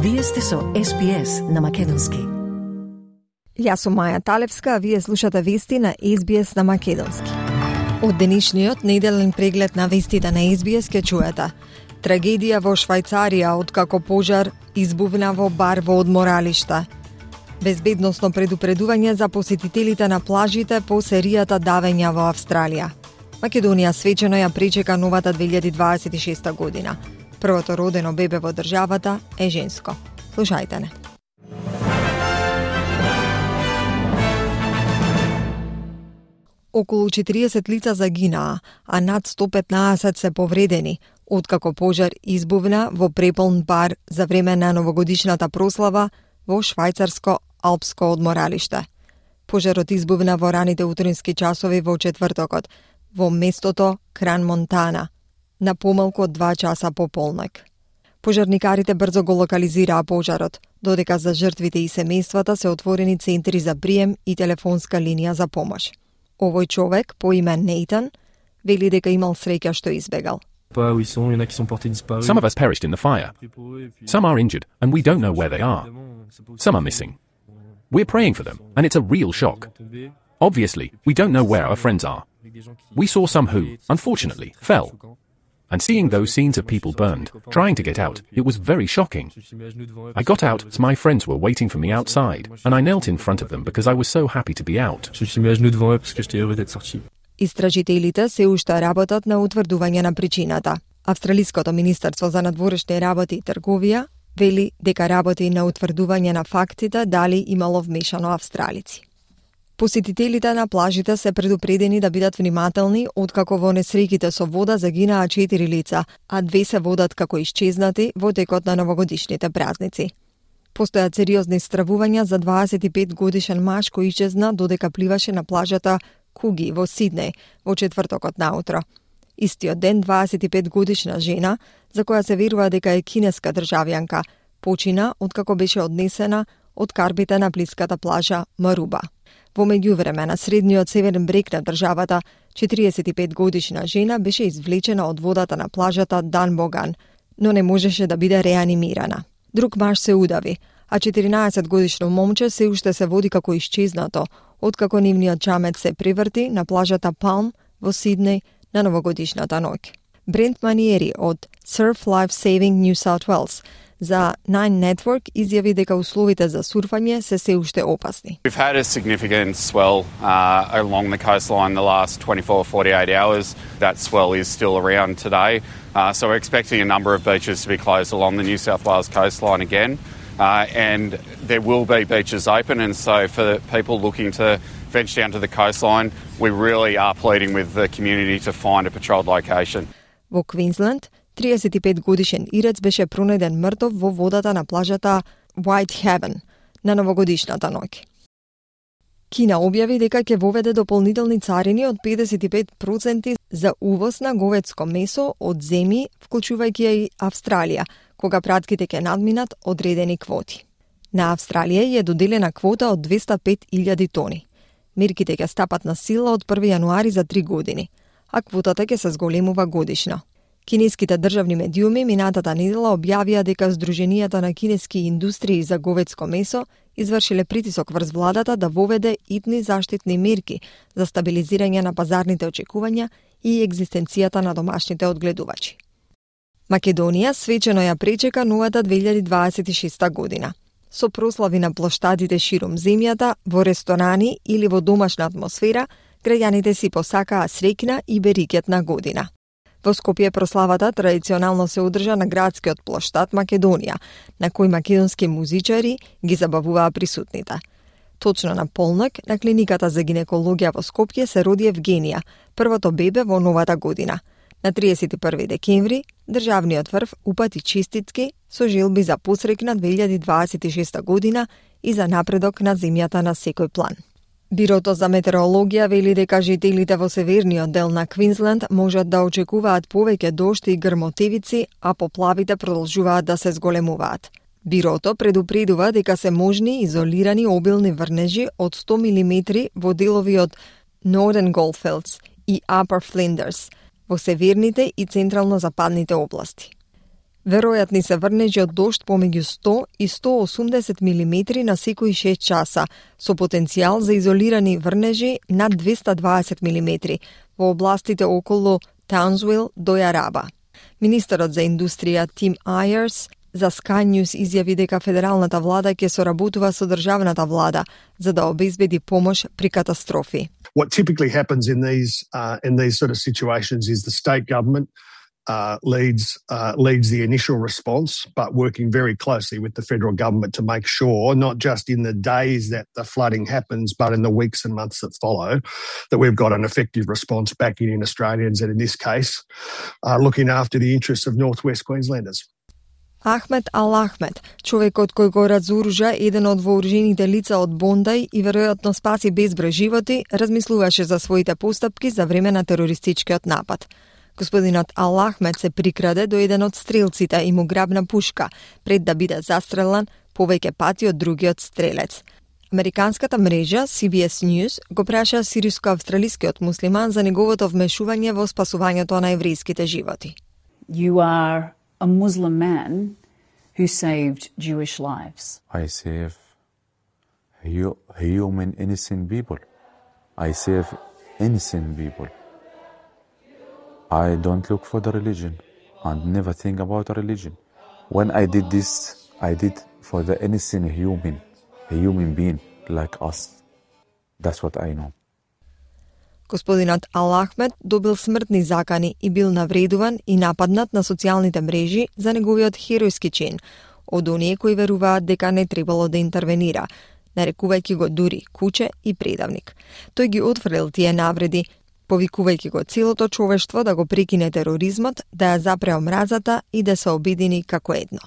Вие сте со SBS на македонски. Јас сум Маја Талевска, а вие слушате вести на SBS на македонски. Од денешниот неделен преглед на вестите на SBS ќе чуете: трагедија во Швајцарија откако пожар избувна во бар во одморалиште. Безбедносно предупредување за посетителите на плажите по серијата давења во Австралија. Македонија свечено ја пречека новата 2026 година. Првото родено бебе во државата е женско. Слушајте не. Околу 40 лица загинаа, а над 115 се повредени, откако пожар избувна во преполн бар за време на новогодишната прослава во швајцарско алпско одморалиште. Пожарот избувна во раните утрински часови во четвртокот, во местото Кран-Монтана, на помалку од 2 часа по полнок. Пожарникарите брзо го локализираа пожарот, додека за жртвите и семејствата се отворени центри за прием и телефонска линија за помош. Овој човек, по име Нейтан, вели дека имал среќа што избегал. Some of us perished in the fire. Some are injured, and we don't know where they are. Some are missing. We're praying for them, and it's a real shock. Obviously, we don't know where our friends are. We saw some who, unfortunately, fell. And seeing those scenes of people burned, trying to get out, it was very shocking. I got out as my friends were waiting for me outside, and I knelt in front of them because I was so happy to be out. Истражителите се уште работат на утврдување на причината. Австралиското министерство за надворешни работи и трговија вели дека работи на утврдување на фактите дали имало вмешано австралици. Посетителите на плажите се предупредени да бидат внимателни, откако во несреќите со вода загинаа 4 лица, а 2 се водат како исчезнати во текот на новогодишните празници. Постојат сериозни стравувања за 25 годишен маж кој исчезна додека пливаше на плажата Куги во Сиднеј во четвртокот наутро. Истиот ден 25 годишна жена, за која се верува дека е кинеска државјанка, почина откако беше однесена од карбите на блиската плажа Маруба. Во меѓувреме на средниот северен брег на државата, 45 годишна жена беше извлечена од водата на плажата Данбоган, но не можеше да биде реанимирана. Друг маж се удави, а 14 годишно момче се уште се води како исчезнато, откако нивниот чамет се преврти на плажата Палм во Сиднеј на новогодишната ноќ. Брент Маниери од Surf Life Saving New South Wales за Nine Network изјави дека условите за сурфање се уште опасни. We've had a significant swell along the coastline the last 24-48 hours. That swell is still around today. So we're expecting a number of beaches to be closed along the New South Wales coastline again. And there will be beaches open, and so for people looking to venture down to the coastline, we really are pleading with the community to find a patrolled location. Во Квинсленд, 35 годишен ирец беше пронајден мртов во водата на плажата Whitehaven на новогодишната ноќ. Кина објави дека ќе воведе дополнителни царини од 55% за увоз на говедско месо од земји, вклучувајќи ја и Австралија, кога пратките ќе надминат одредени квоти. На Австралија е доделена квота од 205.000 тони. Мерките ќе стапат на сила од 1 јануари за 3 години, а квотата ќе се зголемува годишно. Кинеските државни медиуми минатата недела објавија дека Сдруженијата на кинески индустрии за говедско месо извршиле притисок врз владата да воведе итни заштитни мерки за стабилизирање на пазарните очекувања и екзистенцијата на домашните одгледувачи. Македонија свечено ја пречека новата 2026 година. Со прослави на плоштадите ширум земјата, во ресторани или во домашна атмосфера, граѓаните си посакаа среќна и берикетна година. Во Скопје прославата традиционално се одржа на градскиот плоштад Македонија, на кој македонски музичари ги забавуваа присутните. Точно на полнок на клиниката за гинекологија во Скопје се роди Евгенија, првото бебе во новата година. На 31 декември, државниот врв упати честитки со желби за посрекна 2026 година и за напредок на земјата на секој план. Бирото за метеорологија вели дека жителите во северниот дел на Квинсленд можат да очекуваат повеќе дожд и грмотевици, а поплавите продолжуваат да се зголемуваат. Бирото предупредува дека се можни изолирани обилни врнежи од 100 мм во делови од Northern Goldfields и Upper Flinders, во северните и централно-западните области. Веројатни се врнежи од дожд помеѓу 100 и 180 милиметри на секои 6 часа, со потенцијал за изолирани врнежи над 220 милиметри во областите околу Таунсвил до Јараба. Министерот за индустрија Тим Ајерс за Sky News изјави дека федералната влада ќе соработува со државната влада за да обезбеди помош при катастрофи. What typically happens in these sort of situations is the state government leads the initial response, but working very closely with the federal government to make sure, not just in the days that the flooding happens, but in the weeks and months that follow, that we've got an effective response backing in Australians and in this case, looking after the interests of Northwest Queenslanders. Ахмед Ал-Ахмед, човекот кој го разоружа еден од вооружените лица од Бондај и веројатно спаси безброј животи, размислуваше за своите постапки за време на терористичкиот напад. Господинот Ал-Ахмед се прикраде до еден од стрелците и му грабна пушка, пред да биде застрелан повеќе пати од другиот стрелец. Американската мрежа CBS News го праша сириско-австралискиот муслиман за неговото вмешување во спасувањето на еврејските животи. You are a Muslim man who saved Jewish lives. I save human innocent people. I save innocent people. I don't look for the religion and never think about a religion. When I did this, I did for the innocent human being like us. That's what I know. Господинот Ал-Ахмед добил смртни закани и бил навредуван и нападнат на социјалните мрежи за неговиот херојски чин од оние кои веруваат дека не требало да интервенира, нарекувајќи го дури куче и предавник. Тој ги отфрлил тие навреди, повикувајќи го целото човештво да го прекине тероризмот, да ја запре омразата и да се обедини како едно.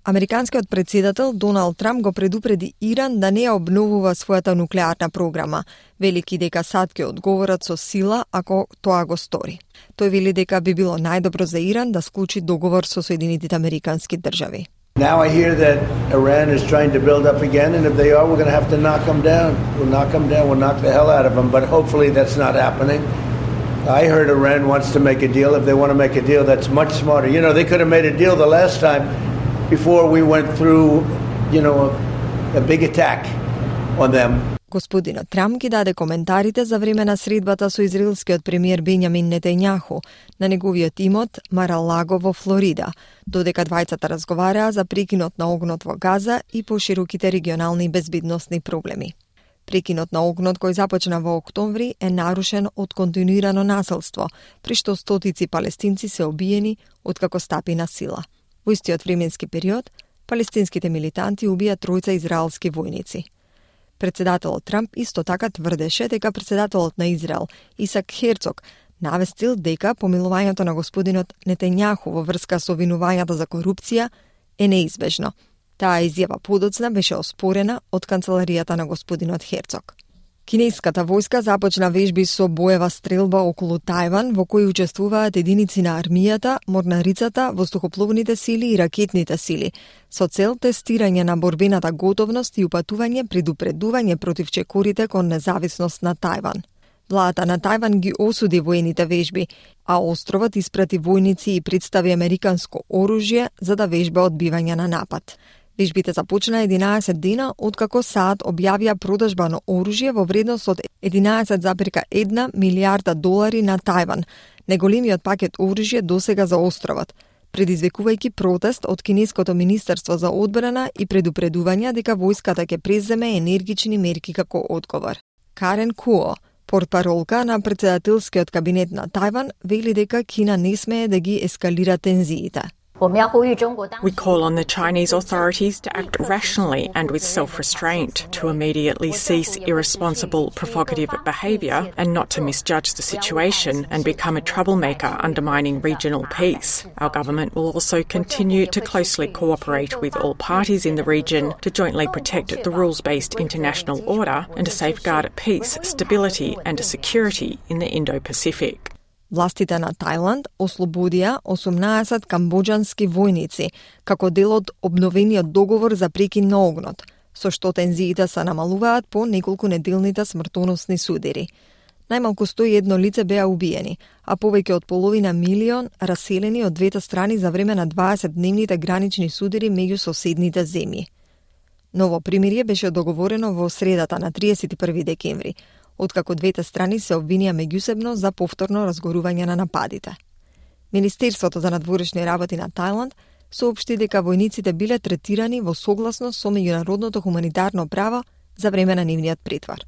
Американскиот председател Доналд Трамп го предупреди Иран да не ја обновува својата нуклеарна програма, велики дека САД ќе одговорат со сила ако тоа го стори. Тој вели дека би било најдобро за Иран да склучи договор со Соединетите Американски држави. Now I hear that Iran is trying to build up again, and if they are, we're going to have to knock them down. We'll knock them down, we'll knock the hell out of them, but hopefully that's not happening. I heard Iran wants to make a deal. If they want to make a deal, that's much smarter. You know, they could have made a deal the last time before we went through, a big attack on them. Господинот Трамп ги даде коментарите за време на средбата со израелскиот премиер Бенјамин Нетањаху на неговиот имот Мар-а-Лаго во Флорида, додека двајцата разговараа за прекинот на огнот во Газа и пошироките регионални безбедносни проблеми. Прекинот на огнот кој започна во октомври е нарушен од континуирано насилство, при што стотици палестинци се убиени откако стапи на сила. Во истиот временски период, палестинските милитанти убија тројца израелски војници. Председателот Трамп исто така тврдеше дека председателот на Израел, Исак Херцог, навестил дека помилувањето на господинот Нетањаху во врска со обвинувањата за корупција е неизбежно. Таа изјава подоцна беше оспорена од канцеларијата на господинот Херцог. Кинеската војска започна вежби со боева стрелба околу Тајван, во кои учествуваат единици на армијата, морнарицата, воздухопловните сили и ракетните сили, со цел тестирање на борбената готовност и упатување предупредување против чекорите кон независност на Тајван. Владата на Тајван ги осуди воените вежби, а островот испрати војници и представи американско оружје за да вежба одбивање на напад. Вежбите започна 11 дена откако САД објавија продажба на оружје во вредност од 11,1 милијарда долари на Тајван, најголемиот пакет оружје досега за островот, предизвикувајќи протест од Кинеското министерство за одбрана и предупредувања дека војската ќе преземе енергични мерки како одговор. Карен Куо, портпаролка на председателскиот кабинет на Тајван, вели дека Кина не смее да ги ескалира тензиите. We call on the Chinese authorities to act rationally and with self-restraint, to immediately cease irresponsible, provocative behaviour and not to misjudge the situation and become a troublemaker undermining regional peace. Our government will also continue to closely cooperate with all parties in the region to jointly protect the rules-based international order and to safeguard peace, stability and security in the Indo-Pacific. Властите на Тајланд ослободија 18 камбоџански војници како дел од обновениот договор за прекин на огнот, со што тензиите се намалуваат по неколку неделните смртоносни судири. Најмалку 101 лице беа убиени, а повеќе од половина милион раселени од двете страни за време на 20-дневните гранични судири меѓу соседните земји. Ново примирие беше договорено во средата на 31 декември, откако двете страни се обвинија меѓусебно за повторно разгорување на нападите. Министерството за надворешни работи на Тајланд соопшти дека војниците биле третирани во согласност со меѓународното хуманитарно право за време на нивниот претвор.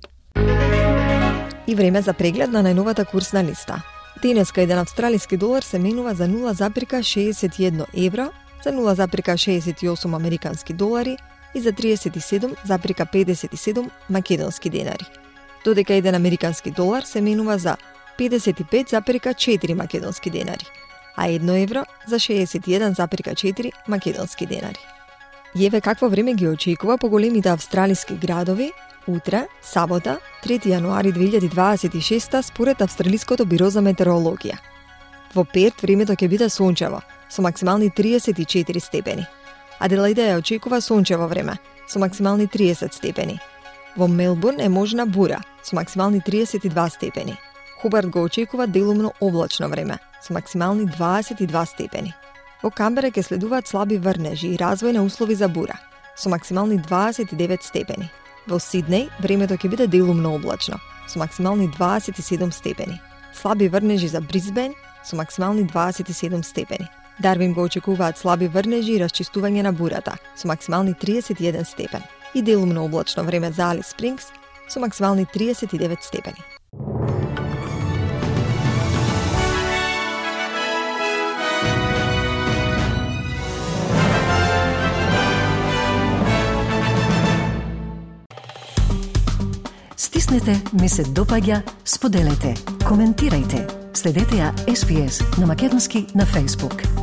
И време за преглед на најновата курсна листа. Денеска еден австралиски долар се менува за 0,61 евро, за 0,68 американски долари и за 37,57 македонски денари. Додека еден американски долар се менува за 55,4 македонски денари, а 1 евро за 61,4 македонски денари. И еве какво време ги очекува по големите австралиски градови утре, сабота, 3 јануари 2026 според Австралиското биро за метеорологија. Во Перт времето ќе биде сончево, со максимални 34 степени. Аделаида ја очекува сончево време, со максимални 30 степени. Во Мелбурн е можна бура, со максимални 32 степени. Хобарт го очекува делумно облачно време, со максимални 22 степени. Во Камбера ќе следуваат слаби врнежи и развој на услови за бура, со максимални 29 степени. Во Сиднеј времето ќе биде делумно облачно, со максимални 27 степени. Слаби врнежи за Брисбен, со максимални 27 степени. Дарвин го очекуваат слаби врнежи и расчистување на бурата, со максимални 31 степен. И делумно облачно време за Алис Спрингс, со максимални 39 степени. Стиснете, ми се допаѓа, споделете, коментирајте. Следете ја SPS на Македонски на Facebook.